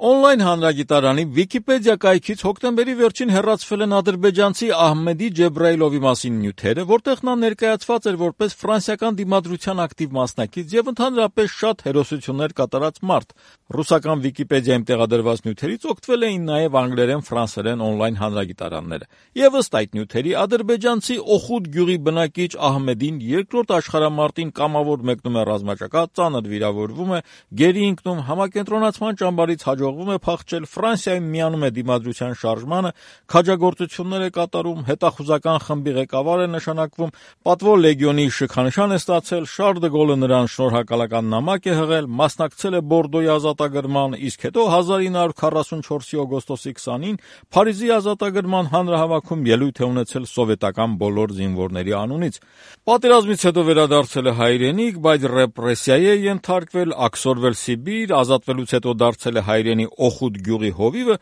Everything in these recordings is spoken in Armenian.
Օնլայն հանրագիտարանի Վիկիպեդիա կայքից հոկտեմբերի վերջին հեռացվել են ադրբեջանցի Ահմեդի Ջեբրայիլովի մասին նյութերը, որտեղ նա ներկայացված էր որպես ֆրանսիական դիմադրության ակտիվ մասնակից եւ ընդհանրապես շատ հերոսություններ կատարած մարդ։ Ռուսական Վիկիպեդիայում տեղադրված նյութերից օգտվել էին նաեւ անգլերեն, ֆրանսերեն օնլայն հանրագիտարանները։ Եվ ըստ այդ նյութերի ադրբեջանցի Օխուդ գյուղի բնակիչ Ահմեդին երկրորդ աշխարհամարտին կամավոր մեկնում է ռազմաճակատ, ծանր վիրավորվում է, գերի ընկնում, համակենտրոնացման ճամբարից հաջողվում է փախչել, Ֆրանսիայում միանում է դիմադրության շարժմանը, քաջագործություններ է կատարում, հետախուզական խմբի ղեկավար է նշանակվում, պատվո լեգիոնի շքանշան է ստացել, Շարլ դը Գոլը նրան շնորհակալական նամակ է հղել, մասնակցել է Բորդոյի ազատագրմանը, իսկ հետո 1944-ի օգոստոսի 20-ին Փարիզի ազատագրման հանրահավաքում ելույթ է ունեցել սովետական բոլոր զինվորների անունից։ Պատերազմից հետո վերադարձել է հայրենիք, բայց ռեպրեսիայի է ենթարկվել, աքսորվել Սիբիր, ազատվելուց հետո դարձել է հայրենի Օխուդ գյուղի հովիվը,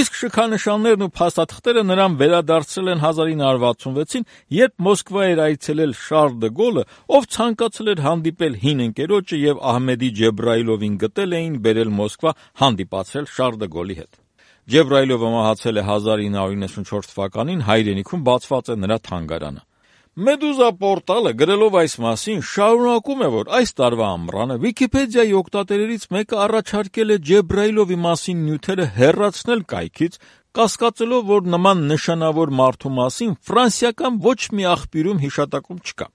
իսկ շքանշաններն ու փաստաթղթերը նրան վերադարձրել են 1966-ին, երբ Մոսկվա էր այցելել Շարլ դը Գոլը, ով ցանկացել էր հանդիպել հին ընկերոջը եւ Ահմեդի Ջեբրայիլովին գտել էին բերել Մոսկվա հանդիպացրել Շարլ դը Գոլի հետ։ Ջեբրայիլովը մահացել է 1994 թվականին, հայրենիքում բացված է նրա թանգարանը։ Մեդուզա պորտալը գրելով այս մասին շարունակում է, որ այս տարվա ամռանը Վիկիպեդիայի օգտատերերից մեկը առաջարկել է Ջեբրայիլովի մասին նյութերը հեռացնել կայքից, կասկածելով, որ նման նշանավոր մարդու մասին ֆրանսիական ոչ մի աղբյուրում հիշատակում չկա։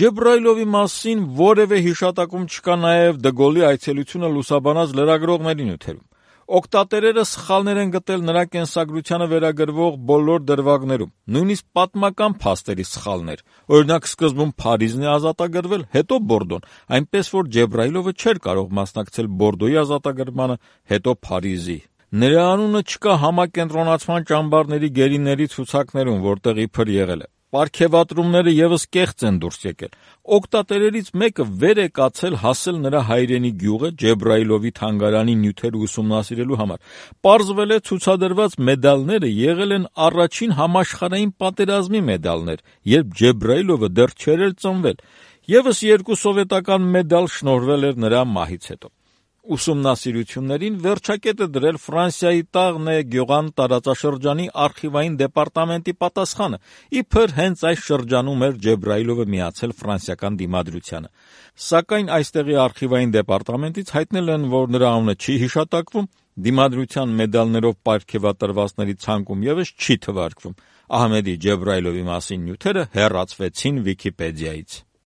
Ջեբրայիլովի մասին որևէ հիշատակում չկա նաև դը Գոլի այցելությունը լուսաբանած լրագրողների նյութերում։ Օգտատերերը սխալներ են գտել նրա կենսագրությանը վերագրվող բոլոր դրվագներում, նույնիսկ պատմական փաստերի սխալներ։ Օրինակ, սկզբում Փարիզն է ազատագրվել, հետո Բորդոն, այնպես որ Ջեբրայիլովը չէր կարող մասնակցել Բորդոյի ազատագրմանը, հետո Փարիզի։ Նրա անունը չկա համակենտրոնացման ճամբարների գերիների ցուցակներում, որտեղ իբր եղել է։ Պարգևատրումները եւս կեղծ են դուրս եկել։ Օգտատերերից մեկը վեր է կացել հասել նրա հայրենի գյուղը Ջեբրայիլովի թանգարանի նյութերը ուսումնասիրելու համար։ Պարզվել է ցուցադրված մեդալները եղել են առաջին համաշխարհային պատերազմի մեդալներ, երբ Ջեբրայիլովը դեռ չէր էլ ծնվել։ Եվս երկու սովետական մեդալ շնորհվել էր նրա մահից հետո։ Ուսումնասիրություններին վերջակետը դրել Ֆրանսիայի Տաղնե Գյուղան տարածաշրջանի արխիվային դեպարտամենտի պատասխանը, իբր հենց այս շրջանում էր Ջեբրայիլովը միացել ֆրանսիական դիմադրությանը։ Սակայն այստեղի արխիվային դեպարտամենտից հայտնել են, որ նրա անունը չի հիշատակվում, դիմադրության մեդալներով պարգևատրվածների ցանկում եւս չի թվարկվում։ Ահմեդի Ջեբրայիլովի մասին նյութերը հեռացվեցին Վիկիպեդիայից։